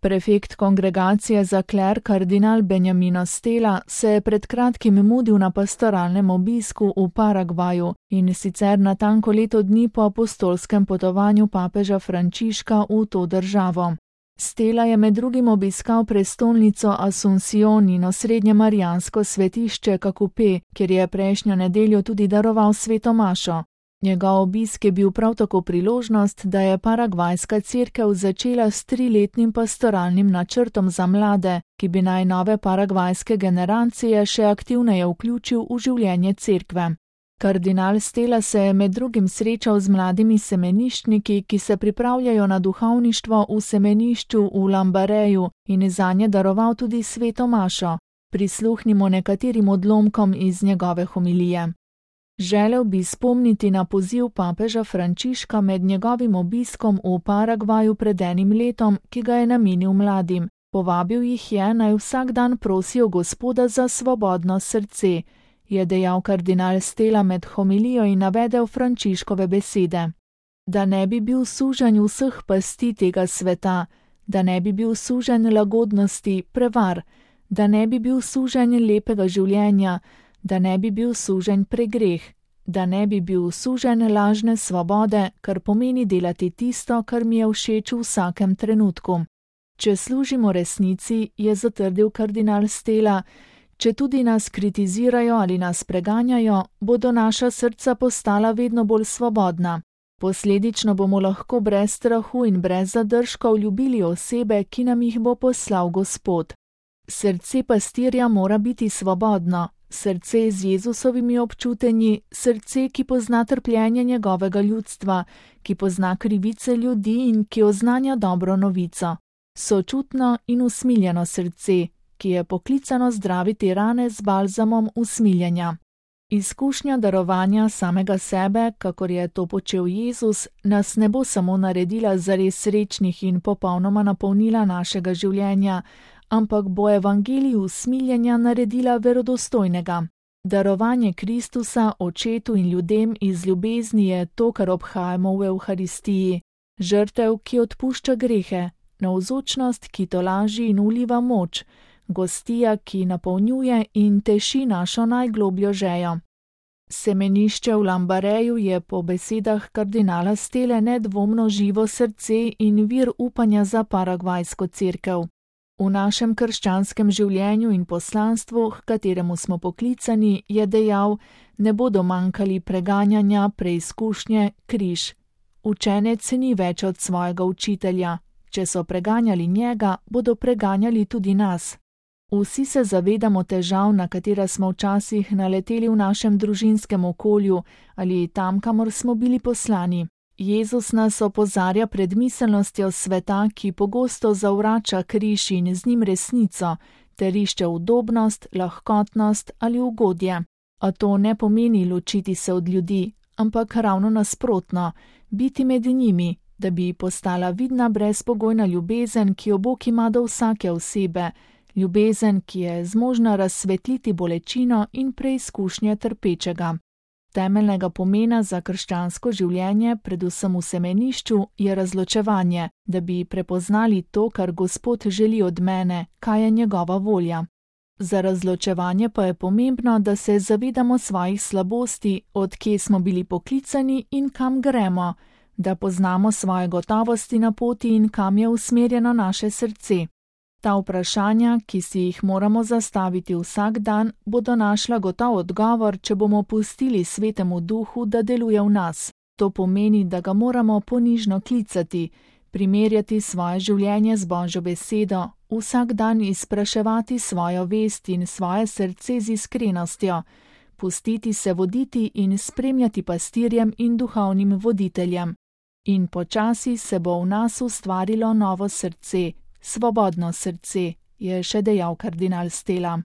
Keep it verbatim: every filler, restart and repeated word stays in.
Prefekt kongregacije za kler kardinal Benjamino Stella se je pred kratkim mudil na pastoralnem obisku v Paragvaju in sicer natanko leto dni po apostolskem potovanju papeža Frančiška v to državo. Stella je med drugim obiskal prestolnico Asuncion in osrednje marijansko svetišče Kakupe, kjer je prejšnjo nedeljo tudi daroval sveto mašo. Njegov obisk je bil prav tako priložnost, da je paragvajska cerkev začela s triletnim pastoralnim načrtom za mlade, ki bi naj nove paragvajske generacije še aktivneje vključil v življenje cerkve. Kardinal Stella se je med drugim srečal z mladimi semeniščniki, ki se pripravljajo na duhovništvo v semenišču v Lambareju in zanje daroval tudi sveto mašo. Prisluhnimo nekaterim odlomkom iz njegove homilije. Želel bi spomniti na poziv papeža Frančiška med njegovim obiskom v Paragvaju pred enim letom, ki ga je namenil mladim. Povabil jih je, naj vsak dan prosijo Gospoda za svobodno srce, je dejal kardinal Stella med homilijo in navedel Frančiškove besede. Da ne bi bil suženj vseh pasti tega sveta, da ne bi bil suženj lagodnosti, prevar, da ne bi bil suženj lepega življenja, da ne bi bil suženj pregreh, da ne bi bil suženj lažne svobode, kar pomeni delati tisto, kar mi je všeč v vsakem trenutku. Če služimo resnici, je zatrdil kardinal Stella, če tudi nas kritizirajo ali nas preganjajo, bodo naša srca postala vedno bolj svobodna. Posledično bomo lahko brez strahu in brez zadržkov ljubili osebe, ki nam jih bo poslal Gospod. Srce pastirja mora biti svobodno. Srce z Jezusovimi občutenji, srce, ki pozna trpljenje njegovega ljudstva, ki pozna krivice ljudi in ki oznanja dobro novico. Sočutno in usmiljeno srce, ki je poklicano zdraviti rane z balzamom usmiljenja. Izkušnja darovanja samega sebe, kakor je to počel Jezus, nas ne bo samo naredila zares srečnih in popolnoma napolnila našega življenja, ampak bo evangelij usmiljenja naredila verodostojnega. Darovanje Kristusa očetu in ljudem iz ljubezni je to, kar obhajamo v Evharistiji. Žrtev, ki odpušča grehe, navzočnost, ki tolaži in uliva moč, gostija, ki napolnjuje in teši našo najglobljo žejo. Semenišče v Lambareju je po besedah kardinala Stelle nedvomno živo srce in vir upanja za paragvajsko cerkev. V našem krščanskem življenju in poslanstvu, h kateremu smo poklicani, je dejal, ne bodo manjkali preganjanja, preizkušnje, križ. Učenec ni več od svojega učitelja. Če so preganjali njega, bodo preganjali tudi nas. Vsi se zavedamo težav, na katera smo včasih naleteli v našem družinskem okolju ali tam, kamor smo bili poslani. Jezus nas opozarja pred miselnostjo sveta, ki pogosto zavrača križ in z njim resnico, ter išče udobnost, lahkotnost ali ugodje. A to ne pomeni ločiti se od ljudi, ampak ravno nasprotno, biti med njimi, da bi postala vidna brezpogojna ljubezen, ki jo Bog ima do vsake osebe, ljubezen, ki je zmožna razsvetliti bolečino in preizkušnje trpečega. Temeljnega pomena za krščansko življenje, predvsem v semenišču, je razločevanje, da bi prepoznali to, kar Gospod želi od mene, kaj je njegova volja. Za razločevanje pa je pomembno, da se zavedamo svojih slabosti, od kje smo bili poklicani in kam gremo, da poznamo svoje gotovosti na poti in kam je usmerjeno naše srce. Ta vprašanja, ki si jih moramo zastaviti vsak dan, bodo našla gotov odgovor, če bomo pustili Svetemu Duhu, da deluje v nas. To pomeni, da ga moramo ponižno klicati, primerjati svoje življenje z Božjo besedo, vsak dan izpraševati svojo vest in svoje srce z iskrenostjo, pustiti se voditi in spremljati pastirjem in duhovnim voditeljem. In počasi se bo v nas ustvarilo novo srce, svobodno srce, je še dejal kardinal Stella.